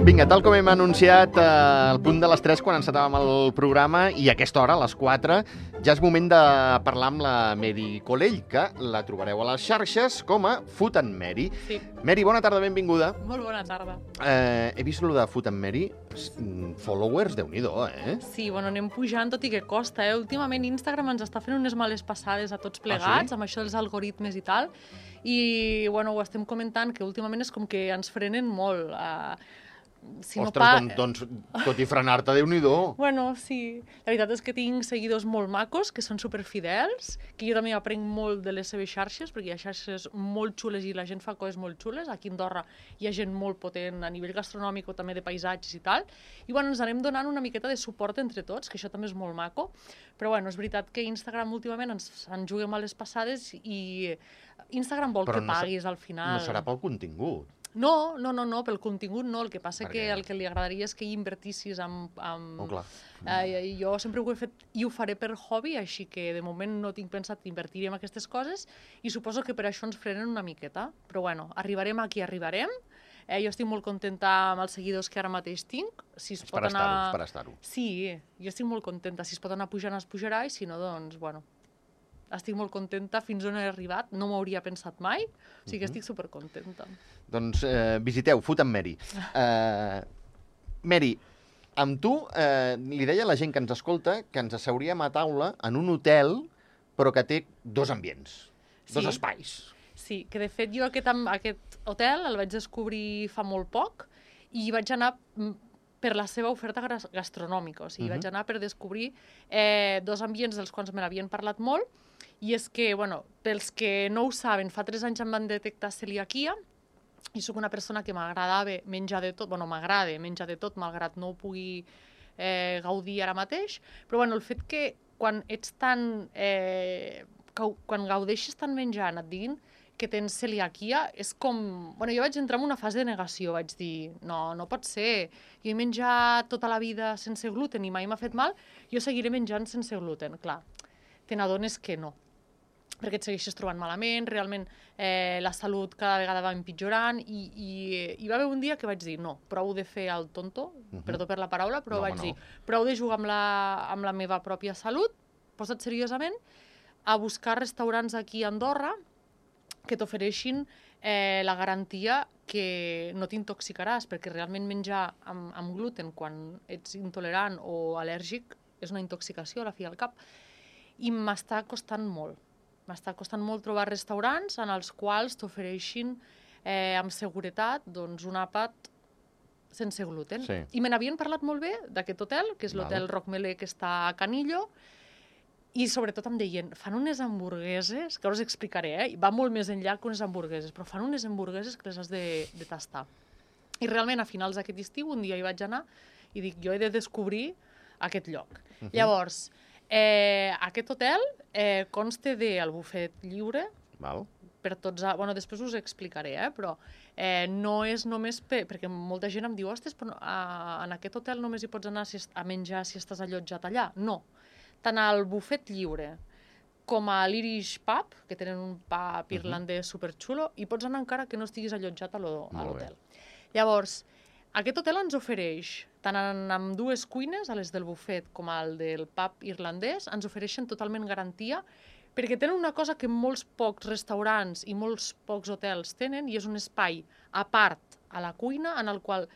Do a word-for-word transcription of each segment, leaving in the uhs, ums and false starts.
Vinga, tal com hem anunciat eh, al punt de les tres quan encetàvem el programa, i a aquesta hora, a les quatre, ja és moment de parlar amb la Mary Colell, que la trobareu a les xarxes com a Food and Mary. Sí. Mary, bona tarda, benvinguda. Molt bona tarda. Eh, he vist lo de Food and Mary, followers, Déu-n'hi-do, eh? Sí, bueno, anem pujant, tot i que costa, eh? Últimament Instagram ens està fent unes males passades a tots plegats, Ah, sí? amb això dels algoritmes i tal, i, bueno, ho estem comentant, que últimament és com que ens frenen molt. Eh, si Ostres, no pa... doncs, doncs, tot i frenar-te, Déu-n'hi-do. Bueno, sí. La veritat és que tinc seguidors molt macos, que són superfidels, que jo també aprenc molt de les seves xarxes, perquè hi ha xarxes molt xules i la gent fa coses molt xules. Aquí a Andorra hi ha gent molt potent a nivell gastronòmic o també de paisatges i tal. I bueno, ens anem donant una miqueta de suport entre tots, que això també és molt maco. Però bueno, és veritat que Instagram últimament ens en juga males passades i Instagram vol Però que no paguis al final. No serà pel contingut. No, no, no, no, pel contingut no. El que passa Perquè... que el que li agradaria és que hi invertissis en... en... Oh, clar. Eh, jo sempre ho he fet i ho faré per hobby, així que de moment no tinc pensat invertir en aquestes coses i suposo que per això ens frenen una miqueta. Però bueno, arribarem aquí, arribarem. Eh, jo estic molt contenta amb els seguidors que ara mateix tinc. Si es És pot per anar... estar-ho, és per estar-ho. Sí, jo estic molt contenta. Si es pot anar pujant, es pujarà, i si no, doncs, bueno... Estic molt contenta, fins on he arribat, no m'ho hauria pensat mai, o sigui que estic supercontenta. Doncs eh, visiteu Food and Mary. Eh, Mary, amb tu eh, li deia a la gent que ens escolta que ens asseuríem a taula en un hotel, però que té dos ambients, dos Sí. espais. Sí, que de fet jo aquest, am- aquest hotel el vaig descobrir fa molt poc i vaig anar mm, per la seva oferta gas- gastronòmica, o sigui, Mhm. vaig anar per descobrir eh, dos ambients dels quals me n'havien parlat molt, i és que, bueno, pels que no ho saben, fa tres anys em van detectar celiaquia, i sóc una persona que m'agradava menjar de tot, bueno, m'agrada menjar de tot, malgrat no ho pugui eh, gaudir ara mateix, però bueno, el fet que quan ets tan... Eh, cau- quan gaudeixes tant menjant, et diguin que tens celiaquia, és com... Bueno, jo vaig entrar en una fase de negació, vaig dir, no, no pot ser, jo he menjat tota la vida sense gluten i mai m'ha fet mal, jo seguiré menjant sense gluten. Clar, te n'adones que no, perquè et segueixes trobant malament, realment eh, la salut cada vegada va empitjorant i, i hi va haver un dia que vaig dir no, prou de fer el tonto, Mhm. perdó per la paraula, però No, vaig home, dir no. prou de jugar amb la, amb la meva pròpia salut, posa't seriosament a buscar restaurants aquí a Andorra que t'ofereixin eh, la garantia que no t'intoxicaràs, perquè realment menjar amb, amb gluten quan ets intolerant o al·lèrgic és una intoxicació a la fi al cap. I m'està costant molt. M'està costant molt trobar restaurants en els quals t'ofereixin eh, amb seguretat doncs, un àpat sense gluten. Sí. I me n'havien parlat molt bé d'aquest hotel, que és Val. l'hotel Rockmelé, que està a Canillo, i sobretot em deien, fan unes hamburgueses, que ara us explicaré, eh? Va molt més enllà que unes hamburgueses, però fan unes hamburgueses que les has de, de tastar. I realment, a finals d'aquest estiu, un dia hi vaig anar i dic, jo he de descobrir aquest lloc. Mhm. Llavors, eh, aquest hotel eh, consta del bufet lliure, Val? per tots... A... Bueno, després us explicaré, eh? Però eh, no és només... Per... Perquè molta gent em diu, ostres, però a... en aquest hotel només hi pots anar si est... a menjar si estàs allotjat allà. No. Tant al bufet lliure com a l'Irish Pub, que tenen un pub irlandès superxulo, hi pots anar encara que no estiguis allotjat a l'ho- a Molt bé. l'hotel. Llavors, aquest hotel ens ofereix, tant en, amb dues cuines, a les del bufet com al del pub irlandès, ens ofereixen totalment garantia, perquè tenen una cosa que molts pocs restaurants i molts pocs hotels tenen, i és un espai a part a la cuina, en el qual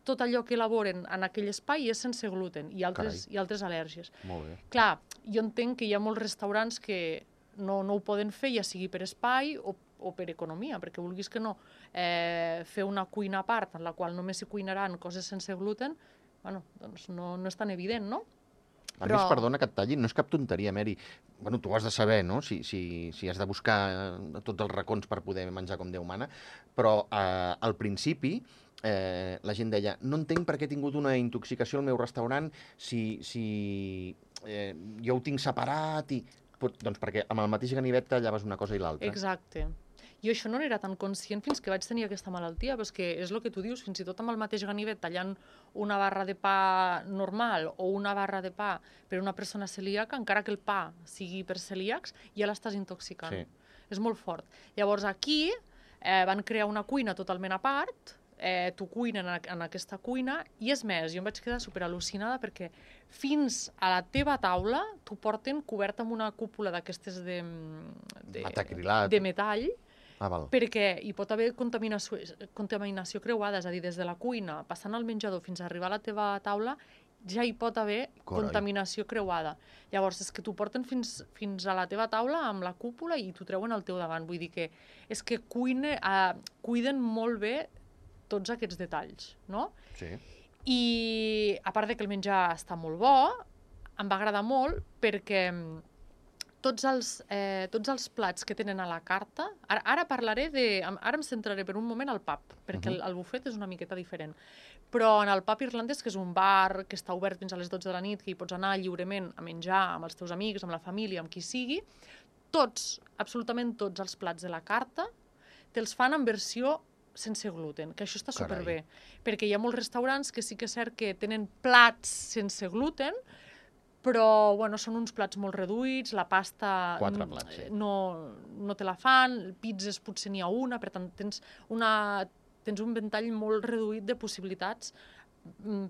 tot allò que elaboren en aquell espai és sense gluten i altres, Carai. i altres al·lèrgies. Molt bé. Clar, jo entenc que hi ha molts restaurants que no, no ho poden fer, ja sigui per espai o, o per economia, perquè vulguis que no, eh, fer una cuina a part en la qual només s'hi cuinaran coses sense gluten, bueno, doncs no, no és tan evident, no? A Però- més, perdona que et talli, no és cap tonteria, Mary. Bueno, tu ho has de saber, no? Si, si, si has de buscar eh, tots els racons per poder menjar com Déu mana, però eh, al principi eh, la gent deia, no entenc per què he tingut una intoxicació al meu restaurant si, si eh, jo ho tinc separat i... Pot- Doncs perquè amb el mateix ganivet tallaves una cosa i l'altra. Exacte. Jo això no n'era tan conscient fins que vaig tenir aquesta malaltia, però és que és el que tu dius, fins i tot amb el mateix ganivet tallant una barra de pa normal o una barra de pa per una persona celíaca, encara que el pa sigui per celíacs, ja l'estàs intoxicant. Sí. És molt fort. Llavors aquí eh, van crear una cuina totalment a part, eh, tu cuinen en, en aquesta cuina, i és més, jo em vaig quedar superal·lucinada perquè fins a la teva taula t'ho porten cobert amb una cúpula d'aquestes de, de, Metacrilat. de metall, Ah, val. perquè hi pot haver contaminació, contaminació creuada, és a dir, des de la cuina, passant al menjador fins a arribar a la teva taula, ja hi pot haver Carai. contaminació creuada. Llavors, és que t'ho porten fins, fins a la teva taula amb la cúpula i t'ho treuen al teu davant. Vull dir que és que cuine, eh, cuiden molt bé tots aquests detalls, no? Sí. I a part de que el menjar està molt bo, em va agradar molt perquè tots els, eh, tots els plats que tenen a la carta... Ara, ara parlaré de... Ara em centraré per un moment al pub, perquè uh -huh. el, el bufet és una miqueta diferent. Però en el pub irlandès, que és un bar que està obert fins a les dotze de la nit, que hi pots anar lliurement a menjar amb els teus amics, amb la família, amb qui sigui, tots, absolutament tots els plats de la carta te'ls fan en versió sense gluten, que això està Carai. superbé. Perquè hi ha molts restaurants que sí que és cert que tenen plats sense gluten, però bueno, són uns plats molt reduïts, la pasta Quatre plats, sí. no, no te la fan, pizzas potser n'hi ha una, per tant tens, una, tens un ventall molt reduït de possibilitats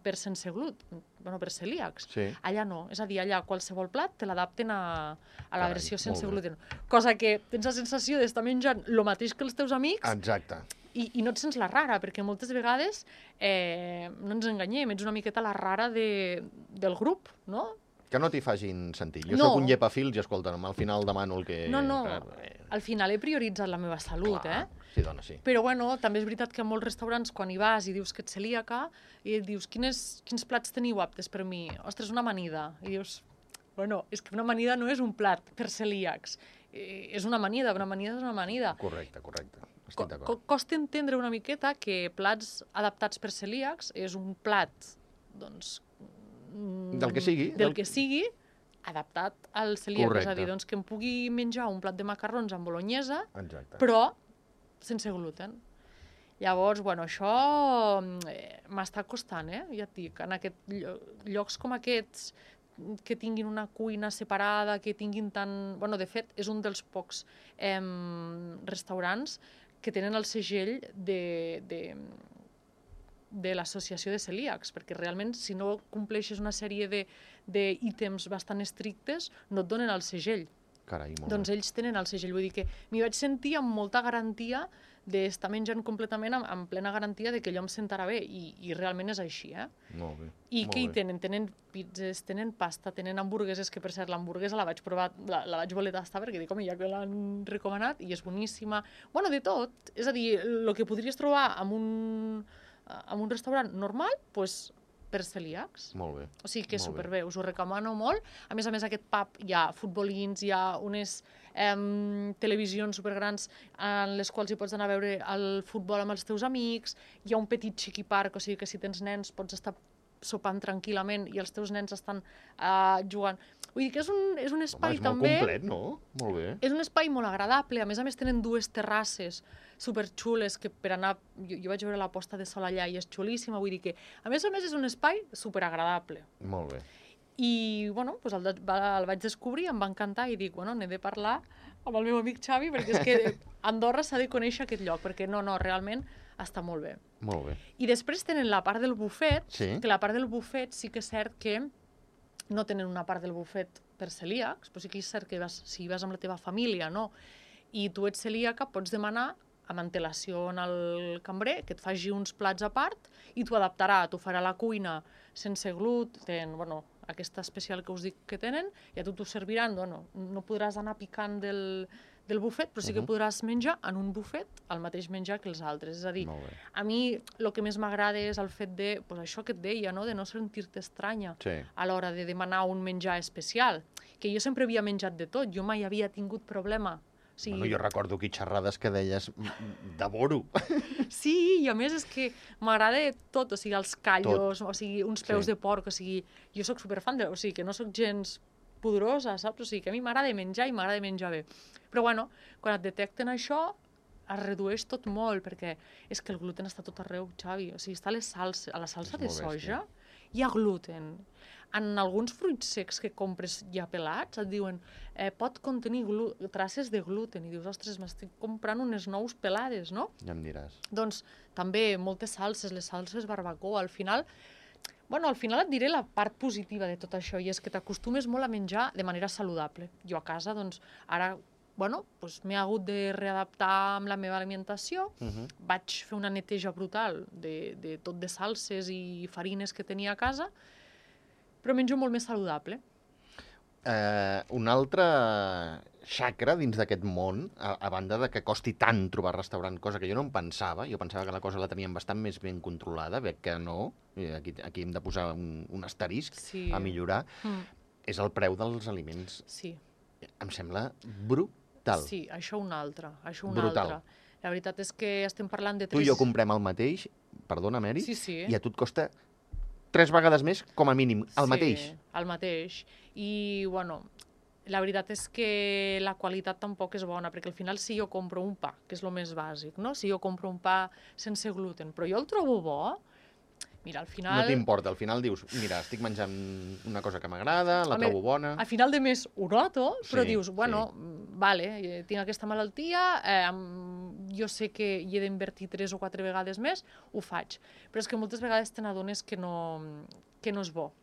per sense gluten, bueno, per celíacs. Sí. Allà no, és a dir, allà qualsevol plat te l'adapten a, a la Carai, versió sense molt bé. gluten. Cosa que tens la sensació d'estar menjant el mateix que els teus amics, Exacte. i, i no et sents la rara, perquè moltes vegades, eh, no ens enganyem, ets una miqueta la rara de, del grup, no? Que no t'hi facin sentir. Jo No. sóc un llepafils i, escolta, al final demano el que... No, no, Eh, al final he prioritzat la meva salut, clar. eh? Sí, dona, sí. Però bueno, també és veritat que en molts restaurants, quan hi vas i dius que ets celíaca, i dius, quines, quins plats teniu aptes per mi? Ostres, una amanida. I dius, bueno, és que una amanida no és un plat per celíacs. Eh, és una amanida, una amanida és una amanida. Correcte, correcte. Estic Co co d'acord. costa entendre una miqueta que plats adaptats per celíacs és un plat, doncs... mm, Del que sigui. Del del- que sigui, adaptat al celíac. Correcte. És a dir, doncs que em pugui menjar un plat de macarrons amb bolognesa, Exacte. però sense gluten. Llavors, bueno, això eh, m'està costant, eh? Ja et dic, en aquest llo- llocs com aquests que tinguin una cuina separada, que tinguin tant... Bueno, de fet, és un dels pocs eh, restaurants que tenen el segell de, de, de l'associació de celíacs, perquè realment, si no compleixes una sèrie de d'ítems bastant estrictes, no et donen el segell. Carai, molt Doncs bé. ells tenen el segell, vull dir que m'hi vaig sentir amb molta garantia d'estar menjant completament amb, amb plena garantia de que allò em sentarà bé, i, i realment és així, eh? Molt bé. I molt què hi bé. tenen? Tenen pizzas, tenen pasta, tenen hamburgueses, que per cert l'hamburguesa la vaig provar, la, la vaig voler tastar perquè dic, home, ja que l'han recomanat i és boníssima. Bueno, de tot, és a dir, el que podries trobar en un, en un restaurant normal, doncs per celíacs. Molt bé. O sigui que és Molt bé. superbé, us ho recomano molt. A més a més, aquest pub hi ha futbolins, hi ha unes em, televisions supergrans en les quals hi pots anar a veure el futbol amb els teus amics, hi ha un petit chiqui park, o sigui que si tens nens pots estar sopant tranquil·lament i els teus nens estan uh, jugant. Vull dir que és un, és un Home, espai és molt també... complet, no? Molt bé. És un espai molt agradable, a més a més tenen dues terrasses superxules que per anar... Jo, jo vaig veure la posta de sol allà i és xulíssima, vull dir que a més a més és un espai superagradable. Molt bé. I, bueno, doncs el, de- va- el vaig descobrir, em va encantar i dic, bueno, n'he de parlar amb el meu amic Xavi perquè és que Andorra s'ha de conèixer aquest lloc, perquè no, no, realment està molt bé. Molt bé. I després tenen la part del bufet, Sí. que la part del bufet sí que és cert que no tenen una part del bufet per celíacs, però sí que és cert que vas, si vas amb la teva família, no? I tu ets celíaca, pots demanar amb antelació al cambrer que et faci uns plats a part i t'ho adaptarà, t'ho farà a la cuina sense gluten, bueno, aquesta especial que us dic que tenen, i a tu t'ho serviran, bueno, no podràs anar picant del, del bufet, però sí que Mhm. podràs menjar en un bufet el mateix menjar que els altres. És a dir, Molt bé. a mi el que més m'agrada és el fet de, pues això que et deia, no? De no sentir-te estranya Sí. a l'hora de demanar un menjar especial, que jo sempre havia menjat de tot, jo mai havia tingut problema. O sigui, Bueno, jo recordo aquí xerrades que deies "Mm, mm, devoro. sí, i a més és que m'agrada tot, o sigui, els callos, o sigui, uns peus Sí. de porc, o sigui, jo sóc superfan, de, o sigui, que no sóc gens pudorosa, saps? O sigui, que a mi m'agrada menjar i m'agrada menjar bé. Però bueno, quan et detecten això, es redueix tot molt, perquè és que el gluten està tot arreu, Xavi. O sigui, està a, les salsa, a la salsa de soja, hi ha gluten. En alguns fruits secs que compres ja pelats et diuen eh, pot contenir traces de gluten. I dius, ostres, m'estic comprant unes nous pelades, no? Ja em diràs. Doncs també moltes salses, les salses barbacoa, al final... Bueno, al final et diré la part positiva de tot això, i és que t'acostumes molt a menjar de manera saludable. Jo a casa, doncs, ara... Bueno, doncs m'he hagut de readaptar amb la meva alimentació, uh-huh. Vaig fer una neteja brutal de, de tot de salses i farines que tenia a casa, però menjo molt més saludable. Eh, un altre xacra dins d'aquest món, a, a banda de que costi tant trobar restaurant, cosa que jo no em pensava, jo pensava que la cosa la teníem bastant més ben controlada, veig que no, aquí, aquí hem de posar un, un asterisc sí. a millorar, mm. és el preu dels aliments. Sí. Em sembla brutal. Sí, això un altre, això un brutal. altre. La veritat és que estem parlant de... Tu i jo comprem el mateix, perdona, Mary, sí, sí. i a tu et costa tres vegades més, com a mínim, el sí, mateix. el mateix. I, bueno, la veritat és que la qualitat tampoc és bona, perquè al final si jo compro un pa, que és el més bàsic, no? Si jo compro un pa sense gluten, però jo el trobo bo, mira, al final... No t'importa, al final dius, mira, estic menjant una cosa que m'agrada, la Home, trobo bona... Al final de mes ho noto, però sí, dius, bueno, sí. vale, tinc aquesta malaltia, eh, jo sé que hi he d'invertir tres o quatre vegades més, ho faig. Però és que moltes vegades te n'adones que, no, que no és bo.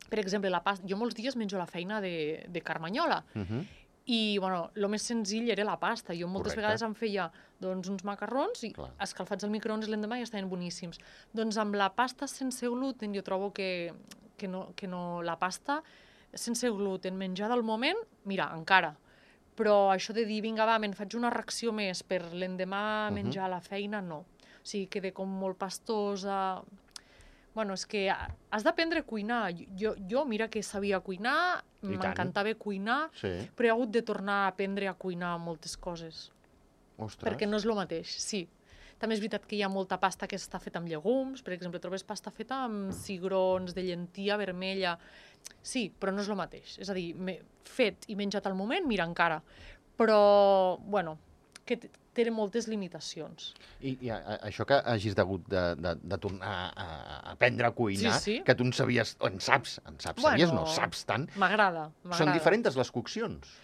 Per exemple, la pasta, jo molts dies menjo la feina de, de carmanyola, uh-huh. I, bueno, el més senzill era la pasta. Jo moltes Correcte. Vegades em feia doncs, uns macarrons i Clar. Escalfats al microones l'endemà i estaven boníssims. Doncs amb la pasta sense gluten jo trobo que, que, no, que no, la pasta sense gluten menjada al moment, mira, encara. Però això de dir, vinga, va, me'n faig una ració més per l'endemà uh-huh. menjar a la feina, no. O sigui, queda com molt pastosa... Bueno, és que has d'aprendre a cuinar. Jo, jo, mira que sabia cuinar, m'encantava cuinar, sí. Però he hagut de tornar a aprendre a cuinar moltes coses. Ostres. Perquè no és el mateix, sí. També és veritat que hi ha molta pasta que està feta amb llegums, per exemple, trobes pasta feta amb cigrons de llentia vermella. Sí, però no és el mateix. És a dir, fet i menjat al moment, mira, encara. Però, bueno, que té moltes limitacions. I, i a, a, això que hagis hagut de, de, de tornar a, a aprendre a cuinar, sí, sí. Que tu en sabies, o en saps, en saps, bueno, sabies, no, saps tant. M'agrada, m'agrada. Són diferents les coccions?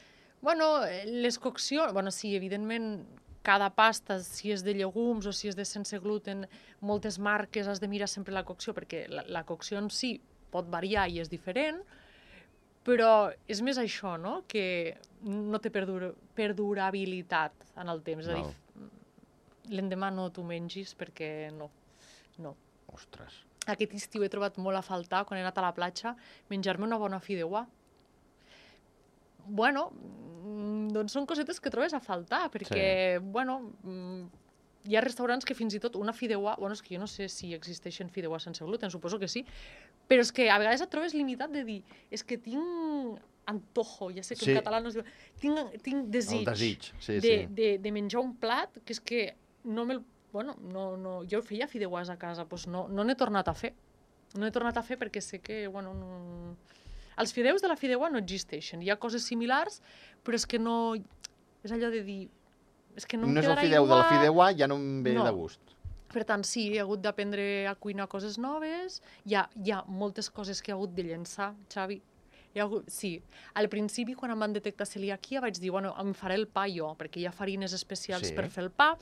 Bueno, les coccions, bueno, sí, evidentment, cada pasta, si és de llegums o si és de sense gluten, moltes marques has de mirar sempre la cocció, perquè la, la cocció en si pot variar i és diferent, però és més això, no?, que no té perdur perdurabilitat en el temps. És a dir, l'endemà no t'ho mengis perquè no, no. Ostres. Aquest estiu he trobat molt a faltar, quan he anat a la platja, menjar-me una bona fideuà. Bueno, doncs són cosetes que trobes a faltar, perquè, sí. Bueno, hi ha restaurants que fins i tot una fideuà... Bueno, és que jo no sé si existeixen fideuà sense gluten, suposo que sí, però és que a vegades et trobes limitat de dir, és que tinc antojo, ja sé que sí. En català no es diu... Tinc, tinc desig, desig. Sí, de, sí. de, de menjar un plat que és que no me'l... Bueno, no, no, jo feia fideuàs a casa, doncs no, no n'he tornat a fer. No n'he tornat a fer perquè sé que, bueno, no... Els fideus de la fideuà no existeixen. Hi ha coses similars, però és que no... És allò de dir... És que no, no em és el quedarà fideu igual... de la fideuà, ja no em ve no. de gust. Per tant, sí, he hagut d'aprendre a cuinar coses noves. Hi ha, hi ha moltes coses que he hagut de llençar, Xavi. Hi ha hagut... Sí, al principi, quan em van detectar celiaquia, vaig dir, bueno, em faré el pa jo, perquè hi ha farines especials sí. Per fer el pa.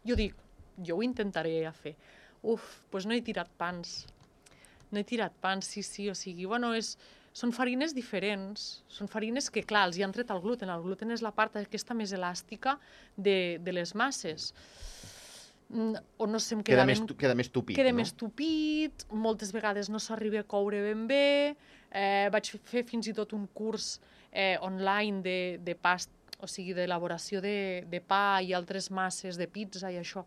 Jo dic, jo ho intentaré a fer. Uf, doncs no he tirat pans. No he tirat pans, sí, sí, o sigui, bueno, és... Són farines diferents, són farines que, clar, els hi han tret el gluten. El gluten és la part aquesta més elàstica de, de les masses. O no sé, em queda, queda, més, ben... queda més tupit, queda no? més tupit, moltes vegades no s'arriba a coure ben bé. Eh, vaig fer fins i tot un curs eh, online de, de past, o sigui, d'elaboració de, de pa i altres masses de pizza i això,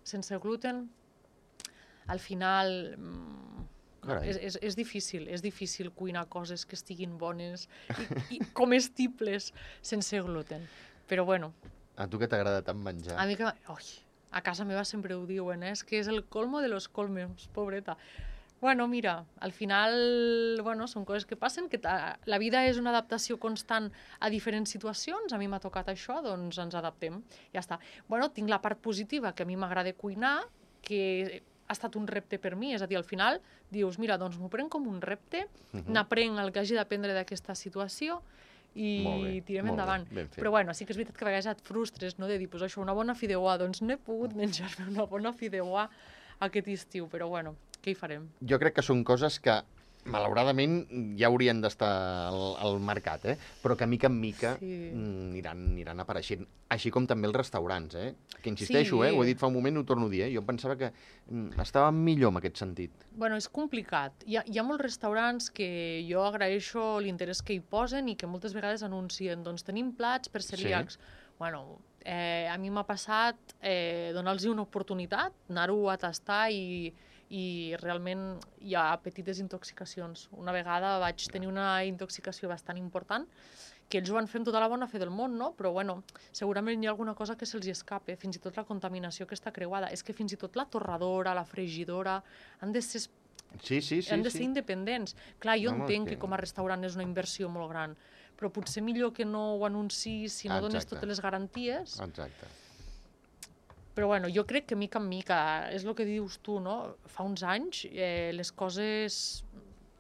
sense gluten. Al final... És, és, és difícil, és difícil cuinar coses que estiguin bones i, i comestibles sense gluten. Però bueno. A tu que t'agrada tant menjar? A mi que... Oi, a casa meva sempre ho diuen, eh? És que és el colmo de los colmos, pobreta. Bueno, mira, al final, bueno, són coses que passen, que la vida és una adaptació constant a diferents situacions, a mi m'ha tocat això, doncs ens adaptem, ja està. Bueno, tinc la part positiva, que a mi m'agrada cuinar, que ha estat un repte per mi, és a dir, al final dius, mira, doncs m'ho prenc com un repte, uh-huh. n'aprenc el que hagi d'aprendre d'aquesta situació, i tirem endavant. Però bueno, sí que és veritat que a vegades et frustres, no?, de dir, pues això, una bona fideuà, doncs no he pogut menjar-me una bona fideuà aquest estiu, però bueno, què hi farem? Jo crec que són coses que, malauradament, ja haurien d'estar al, al mercat, eh? Però que mica en mica sí. aniran, aniran apareixent. Així com també els restaurants, eh? Que insisteixo, sí. eh? Ho he dit fa un moment, ho torno a dir, eh? Jo pensava que estava millor en aquest sentit. Bueno, és complicat. Hi ha, hi ha molts restaurants que jo agraeixo l'interès que hi posen i que moltes vegades anuncien, doncs tenim plats per celíacs. Sí. Bueno, eh, a mi m'ha passat eh, donar-los una oportunitat, anar-ho a tastar i... i realment hi ha petites intoxicacions. Una vegada vaig tenir una intoxicació bastant important, que ells ho van fer amb tota la bona fe del món, no? Però bueno, segurament hi ha alguna cosa que se'ls escape, fins i tot la contaminació que està creuada. És que fins i tot la torradora, la fregidora, han de ser, sí, sí, sí, han de ser sí. independents. Clar, jo no, entenc que... que com a restaurant és una inversió molt gran, però potser millor que no ho anunciïs si no Exacte. dones totes les garanties. Exacte. Però bueno, jo crec que mica en mica, és el que dius tu, no? Fa uns anys eh, les coses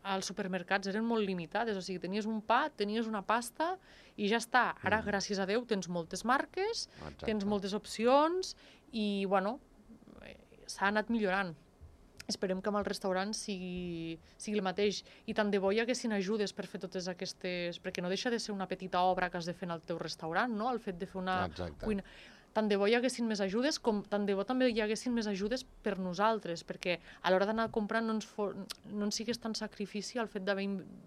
als supermercats eren molt limitades, o sigui, tenies un pa, tenies una pasta i ja està. Ara, mm. gràcies a Déu, tens moltes marques, Exacte. Tens moltes opcions i, bueno, s'ha anat millorant. Esperem que amb el restaurant sigui, sigui el mateix. I tant de bo hi haguessin ajudes per fer totes aquestes... Perquè no deixa de ser una petita obra que has de fer en el teu restaurant, no? El fet de fer una Exacte. Cuina... Tant de bo hi haguessin més ajudes, com tant de bo també hi haguessin més ajudes per nosaltres, perquè a l'hora d'anar a comprar no ens, for... no ens sigués tan sacrifici el fet d'haver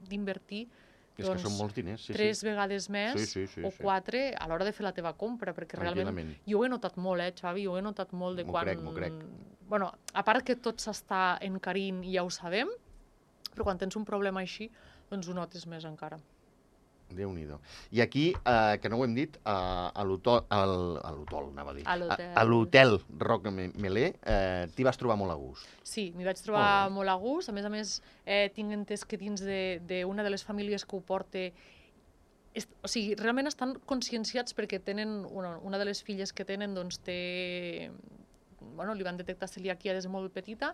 d'invertir és doncs, que són molts diners, sí, tres sí. vegades més sí, sí, sí, o quatre a l'hora de fer la teva compra, perquè realment jo ho he notat molt, eh, Xavi, jo ho he notat molt de quan... M'ho crec, m'ho crec. Bueno, a part que tot s'està encarint i ja ho sabem, però quan tens un problema així, doncs ho notes més encara. Déu-n'hi-do. I aquí, eh, que no ho hem dit, eh, a l'hotol, a l'hotol, anava a dir, a l'hotel Roc Melé, eh, t'hi vas trobar molt a gust. Sí, m'hi vaig trobar molt, molt a gust. A més a més, eh, tinc entès que dins d'una de, de les famílies que ho porta, és, o sigui, realment estan conscienciats perquè tenen, una, una de les filles que tenen, doncs té, bueno, li van detectar celiaquia des de molt petita,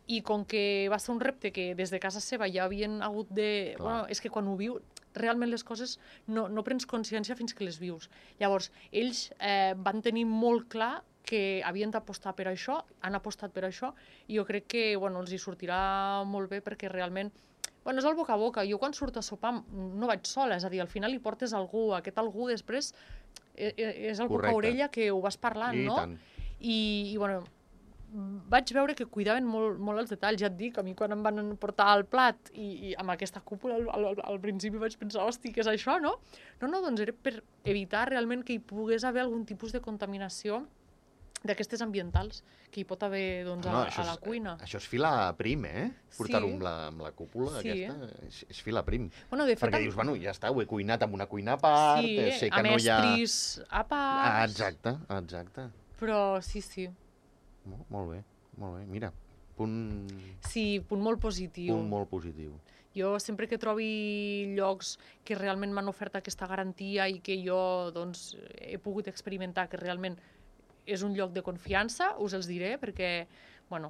i com que va ser un repte que des de casa seva ja havien hagut de... Clar. Bueno, és que quan ho viu, realment les coses no, no prens consciència fins que les vius. Llavors, ells eh, van tenir molt clar que havien d'apostar per això, han apostat per això, i jo crec que bueno, els hi sortirà molt bé perquè realment... Bueno, és el boca a boca. Jo quan surto a sopar no vaig sola, és a dir, al final li portes algú, aquest algú després és el boca a orella que ho vas parlant, I no? Tant. I, i bueno... vaig veure que cuidaven molt, molt els detalls. Ja et dic, a mi quan em van portar el plat i, i amb aquesta cúpula al, al, al principi vaig pensar, hosti, què és això, no? No, no, doncs era per evitar realment que hi pogués haver algun tipus de contaminació d'aquestes ambientals que hi pot haver doncs, no, a, a la és, cuina. Això és filar prim, eh? Portar-ho sí. amb, la, amb la cúpula sí. aquesta, és, és filar prim. Bueno, de fet, perquè dius, bueno, ja està, ho he cuinat amb una cuina a part, sí, sé que amb no hi ha... estris a part... Ah, exacte, exacte. Però sí, sí. Molt, molt bé, molt bé. Mira, punt... Sí, punt molt positiu. Punt molt positiu. Jo sempre que trobi llocs que realment m'han ofert aquesta garantia i que jo doncs, he pogut experimentar que realment és un lloc de confiança, us els diré, perquè, bueno,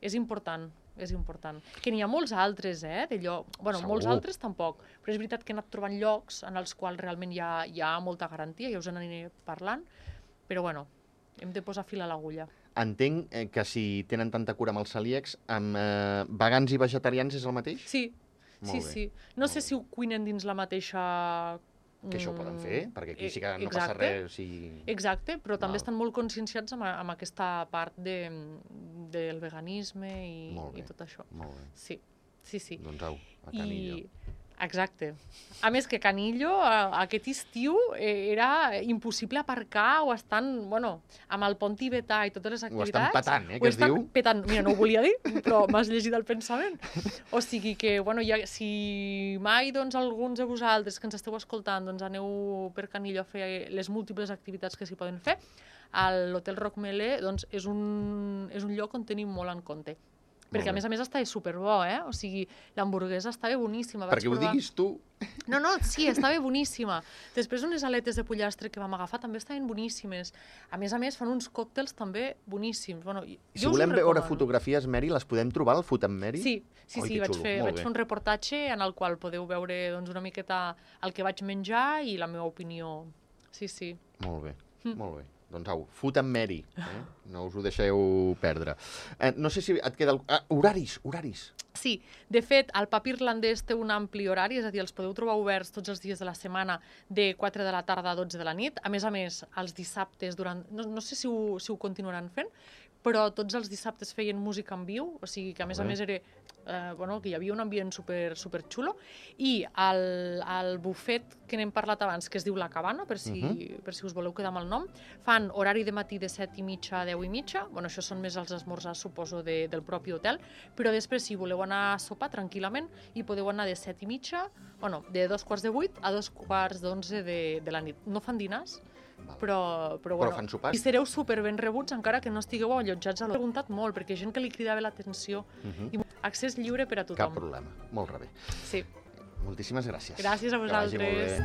és important, és important. Que n'hi ha molts altres, eh, de lloc... Bueno, Segur. molts altres tampoc, però és veritat que he anat trobant llocs en els quals realment hi ha, hi ha molta garantia, ja us n'aniré parlant, però, bueno, hem de posar fil a l'agulla. Entenc eh, que si tenen tanta cura amb els celíacs, amb eh, vegans i vegetarians és el mateix? Sí, Molt sí, bé. sí. No sé si ho cuinen dins la mateixa... Que això ho poden fer, perquè aquí sí que no Exacte. passa res. Si... Exacte, però també Val. estan molt conscienciats amb, amb aquesta part de, del veganisme i, i tot això. Molt bé. Sí, sí, sí. Doncs au, a Canillo. I... Exacte. A més que Canillo, aquest estiu, era impossible aparcar o estan, bueno, amb el pont tibetà i totes les activitats... Ho estan petant, eh, que es diu? Petant. Mira, no ho volia dir, però m'has llegit el pensament. O sigui que, bueno, ja, si mai, doncs, alguns de vosaltres que ens esteu escoltant, doncs, aneu per Canillo a fer les múltiples activitats que s'hi poden fer, a l'Hotel Roc Melé, doncs, és un, és un lloc on tenim molt en compte. Perquè, a més a més, estava superbo, eh? O sigui, l'hamburguesa estava boníssima. Perquè ho diguis tu. No, no, sí, estava boníssima. Després, unes aletes de pollastre que vam agafar també estaven boníssimes. A més a més, fan uns còctels també boníssims. Bueno, si volem veure fotografies, Mary, les podem trobar al Food and Mary? Sí, sí, sí, vaig fer, vaig fer un reportatge en el qual podeu veure doncs, una miqueta el que vaig menjar i la meva opinió. Sí, sí. Molt bé, molt bé. Doncs au, Food and Mary, eh? No us ho deixeu perdre. Eh, no sé si et queda... El... Ah, horaris, horaris. Sí, de fet, el pub irlandès té un ampli horari, és a dir, els podeu trobar oberts tots els dies de la setmana de quatre de la tarda a dotze de la nit. A més a més, els dissabtes, durant... no, no sé si ho, si ho continuaran fent, però tots els dissabtes feien música en viu, o sigui que a més a més era, eh, bueno, que hi havia un ambient super, super xulo, i el, el bufet que n'hem parlat abans, que es diu La Cabana, per si, uh -huh. per si us voleu quedar amb el nom, fan horari de matí de set i mitja a deu i mitja, bueno, això són més els esmorzars, suposo, de, del propi hotel, però després, si voleu anar a sopar tranquil·lament, hi podeu anar de set i mitja, bueno, de dos quarts de vuit a dos quarts d'onze de, de la nit. No fan dinars, però, però, bueno, però fan sopars. I sereu super ben rebuts encara que no estigueu allotjats a l'hotel. He preguntat molt, perquè hi ha gent que li cridava l'atenció uh -huh. i accés lliure per a tothom. Cap problema, molt rebé. Sí. Moltíssimes gràcies. Gràcies a vosaltres.